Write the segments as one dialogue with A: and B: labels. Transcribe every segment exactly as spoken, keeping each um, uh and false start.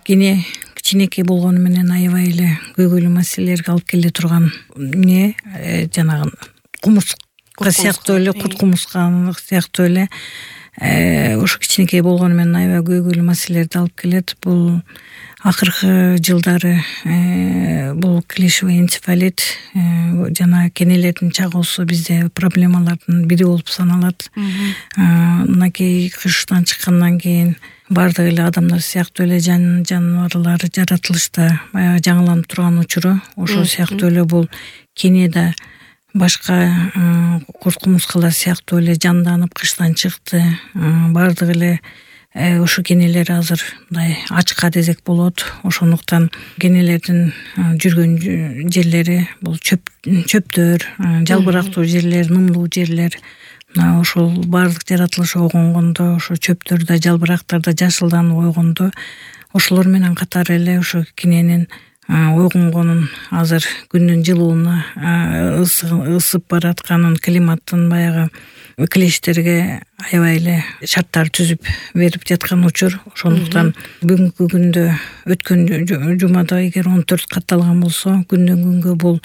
A: кене кичинекей болгону менен аябай эле көйгөйлүү маселелерге алып келе турган эмне жанагы кумурска сыяктуу эле курт кумурска сыяктуу эле ошо кичинекей болгону менен аябай көйгөйлүү маселелерди алып келет. Бул акыркы жылдары бул клишевый энцефалит жана кенелердин чагуусу бизде проблемалардын бири болуп саналат. Мынакей кыштан чыккандан кийин баардык эле адамдар сыяктуу эле жан жаныбарлар жаратылышта баягы жаңыланып турган учуру ошол сыяктуу эле бул кене да башка курт кумурскалар сыяктуу эле жанданып кыштан чыкты. Баардык эле ошо кенелер азыр мындай ачка десек болот. Ошондуктан кенелердин жүргөн жерлери бул чөп чөптөр, жалбырактуу жерлер, нымдуу жерлер. Мына ошол баардык жаратылыш ойгонгондо ошо чөптөрдө, жалбырактарда жашылданып ойгондо ошолор менен катары эле ошо кененин ойгонгонун азыр күндүн жылууна ысып баратканын, климаттын баягы клештерге аябай эле шарттар түзүп берип жаткан учур. Ошондуктан бүгүнкү күндө өткөн жумада эгер он төрт катталган болсо, күндөн күнгө бул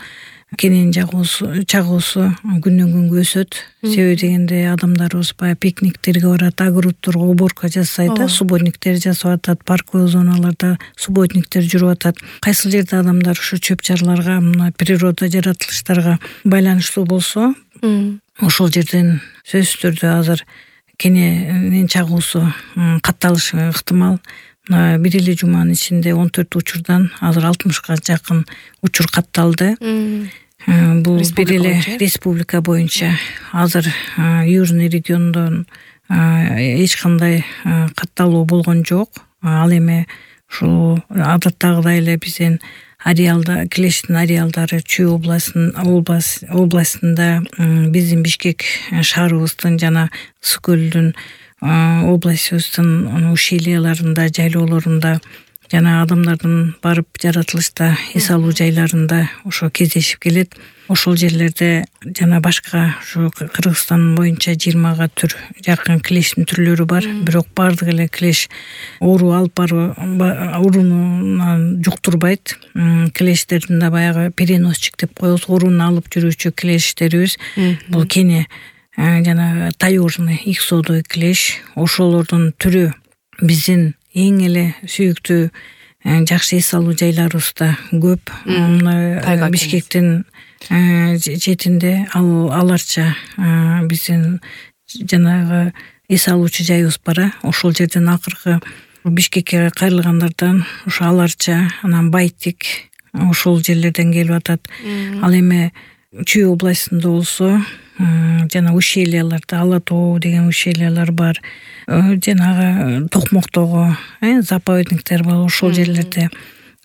A: кененин чагуусу чагуусу күндөн күнгө өсөт. Себеби дегенде адамдарыбыз баягы пикниктерге барат, огородторго уборка жасайт, субботниктер жасап атат, парковый зоналарда субботниктер жүрүп атат. Кайсыл жерде адамдар ушу чөп чарларга, мына природа жаратылыштарга байланыштуу болсо, ошол жерден сөзсүз түрдө азыр кененин чагуусу катталышы ыктымал. Мына бир эле жуманын ичинде он төрт учурдан азыр алтымышка жакын учур катталды. Бул бир эле республика боюнча. Азыр Южный региондон эч кандай катталуу болгон жок. Ал эми ушул адаттагыдай эле биздин ареалда клештин ареалдары Чүй областынын областында, биздин Бишкек шаарыбыздын жана Ысык көлдүн областыбыздын ущельяларында, жайлоолорунда жана адамдардын барып жаратылышта эс алуу жайларында ошо кездешип келет. Ошол жерлерде жана башка ушу Кыргызстан боюнча жыйырмага түр жакын клештин түрлөрү бар. Бирок баардык эле клеш оору алып баруу оорунан жуктурбайт. Клештердин да баягы переносчик деп коебуз, ооруну алып жүрүүчү клештерибиз. Бул кене жана таежный иксодой клеш. Ошолордун түрү биздин эң эле сүйүктүү жакшы эс алуу жайларыбызда көп. Бишкектин четинде аларча биздин жанагы эс алуучу жайыбыз бар. Ошол жерден акыркы Бишкекке кайрылгандардан ошо аларча, анан Байтик ошол жерлерден келип атат. Ал эми Чүй областында болсо жана ущельяларда Ала тоо деген ущельялар бар. Жанагы Токмоктогу заповедниктер бар. Ошол жерлерде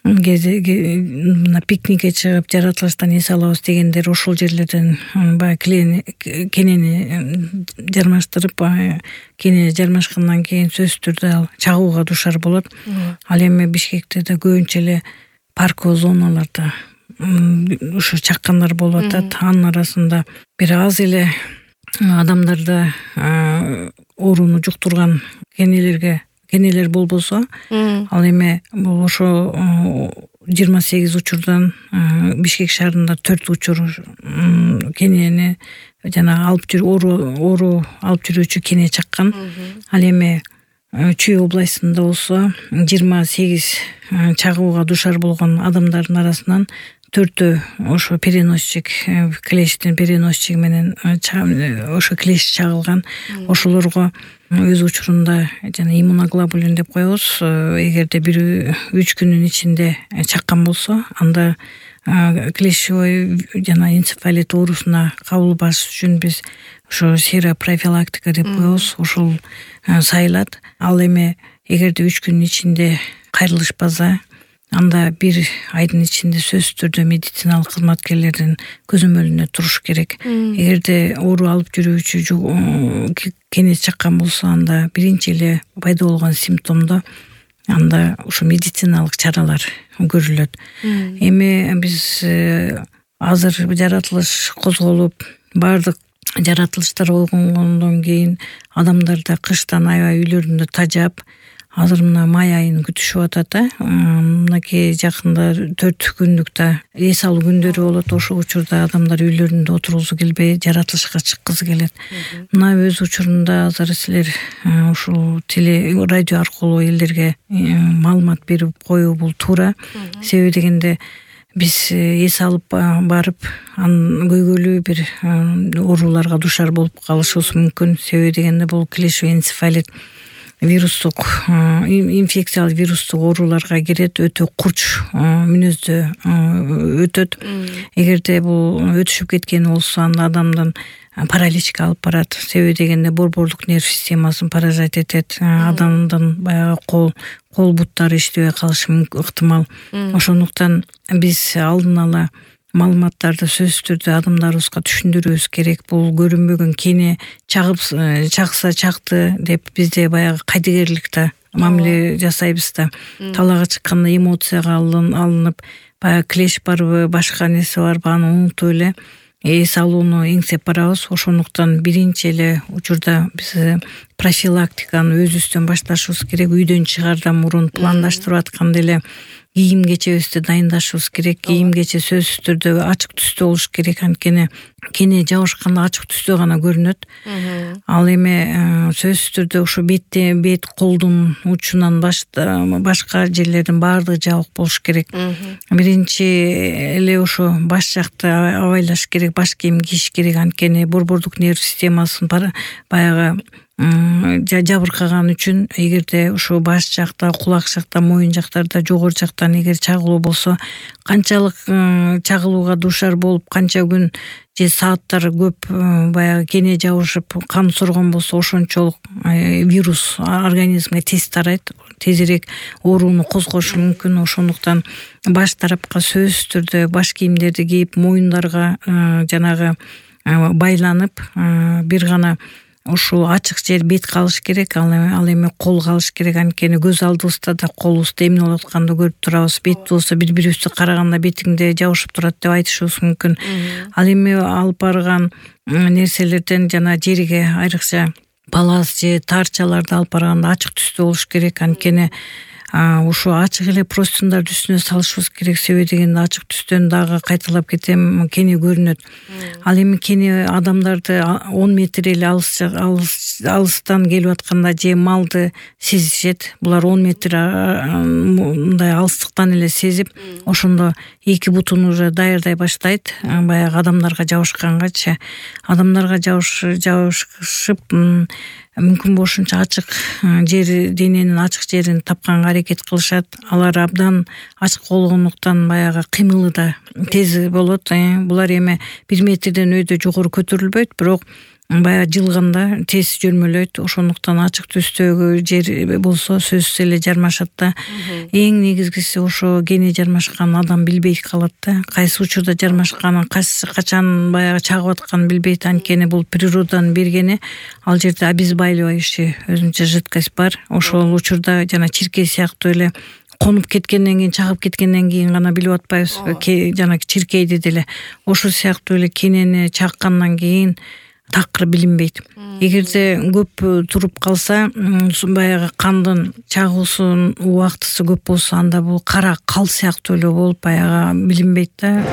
A: мына пикникке чыгып жаратылыштан эс алабыз дегендер ошол жерлерден баягы кенени жармаштырып, кене жармашкандан кийин сөзсүз түрдө ал чагууга дуушар болот. Ал эми Бишкекте да көбүнчө эле парковый зоналарда ушу чаккандар болуп атат. Анын арасында бир аз эле адамдарда ооруну жуктурган кенелерге кенелер болбосо, ал эми бул ошо жыйырма сегиз учурдан Бишкек шаарында төрт учур кенени жана алып жүрүү оору алып жүрүүчү кене чаккан. Ал эми Чүй областында болсо жыйырма сегиз чагууга дуушар болгон адамдардын арасынан төртөө ошо переносчик, клештин переносчиги менен ошо клеш чагылган. Ошолорго өз учурунда жана иммуноглобулин деп коебуз. Эгерде бир үч күнүн ичинде чаккан болсо, анда клешевой жана энцефалит оорусуна кабылбаш үчүн биз ошо серопрофилактика деп коебуз. Ошол сайылат. Ал эми эгерде үч күнүн ичинде кайрылышпаса, анда бир айдын ичинде сөзсүз түрдө медициналык кызматкерлердин көзөмөлүндө туруш керек. Эгерде оору алып жүрүүчү кене чаккан болсо, анда биринчи эле пайда болгон симптомдо анда ушу медициналык чаралар көрүлөт. Эми биз азыр жаратылыш козголуп, баардык жаратылыштар ойгонгондон кийин адамдар да кыштан аябай үйлөрүндө тажап, азыр мына май айын күтүшүп атат да. Мынакей жакында төрт күндүк да эс алуу күндөрү болот. Ошол учурда адамдар үйлөрүндө отургусу келбей, жаратылышка чыккысы келет. Мына өз учурунда азыр силер ушул теле радио аркылуу элдерге маалымат берип коюу бул туура. Себеби дегенде биз эс алып барып, анын көйгөйлүү бир ооруларга душар болуп калышыбыз мүмкүн. Себеби дегенде бул клещевый энцефалит вирустук инфекциялык вирустук ооруларга кирет, өтө курч мүнөздө өтөт. Эгерде бул өтүшүп кеткен болсо, анда адамдын параличке алып барат. Себеби дегенде борборлук нерв системасын паражайт этет. Адамдын баягы кол кол буттары иштебей калышы ыктымал. Ошондуктан биз алдын ала маалыматтарды сөзсүз түрдө адамдарыбызга түшүндүрүүбүз керек. Бул көрүнбөгөн кене чагып чакса чакты деп бизде баягы кайдыгерлик да мамиле жасайбыз да. Талаага чыкканда эмоцияга алынып, баягы клещ барбы, башка нерсе барбы аны унутуп эле эс алууну эңсеп барабыз. Ошондуктан биринчи эле учурда биз профилактиканы өзүбүздөн башташыбыз керек. Үйдөн чыгаардан мурун пландаштырып атканда эле кийим кечебизди дайындашыбыз керек. Кийим кече сөзсүз түрдө ачык түстө болуш керек. Анткени кене жабышканда ачык түстө гана көрүнөт. Ал эми сөзсүз түрдө ушу бетте, бет колдун учунан башка жерлердин баардыгы жабык болуш керек. Биринчи эле ушу баш жакты абайлаш керек, баш кийим кийиш керек. Анткени борборлук нерв системасын баягы жабыркаган үчүн, эгерде ушу баш жакта, кулак жакта, моюн жактарда, жогору жактан эгер чагылуу болсо, канчалык чагылууга душар болуп, канча күн же сааттар көп баягы кене жабышып кан соргон болсо, ошончолук вирус организмге тез тарайт, тезирээк ооруну козгошу мүмкүн. Ошондуктан баш тарапка сөзсүз түрдө баш кийимдерди кийип, моюндарга жанагы байланып, бир гана ушул ачык жер бет калыш керек, ал эми кол калыш керек. Анткени көз алдыбызда да колубузду эмне болуп атканды көрүп турабыз. Бет болсо бири-бирибизди караганда бетиңде жабышып турат деп айтышыбыз мүмкүн. Ал эми алып барган нерселерден жана жерге, айрыкча палас же таарчаларды алып барганда ачык түстө болуш керек. Анткени ушу ачык эле простыняндардын үстүнө салышыбыз керек. Себеби дегенде ачык түстөн дагы кайталап кетем, кене көрүнөт. Ал эми кене адамдарды он метр эле алыстан келип атканда же малды сезишет. Булар он метр мындай алыстыктан эле сезип, ошондо эки бутун уже даярдай баштайт. Баягы адамдарга жабышкангачы, адамдарга жабышып мүмкүн болушунча ачык жер, дененин ачык жерин тапканга аракет кылышат. Алар абдан ачык болгондуктан баягы кыймылы да тез болот. Булар эми бир метрден өйдө жогору көтөрүлбөйт, бирок баягы жылганда тез жөрмөлөйт. Ошондуктан ачык түстөгү жер болсо сөзсүз эле жармашат да. Эң негизгиси ошо кене жармашкан адам билбей калат да. Кайсы учурда жармашканын, качан баягы чагып атканын билбейт. Анткени бул природанын бергени. Ал жерде обезболивающий өзүнчө жидкость бар. Ошол учурда жана чиркей сыяктуу эле конуп кеткенден кийин, чагып кеткенден кийин гана билип атпайбыз. Жана чиркейди деле ошол сыяктуу эле кенени чаккандан кийин такыр билинбейт. Эгерде көп туруп калса, баягы кандын чагуусунун убактысы көп болсо, анда бул кара кал сыяктуу эле болуп баягы билинбейт да.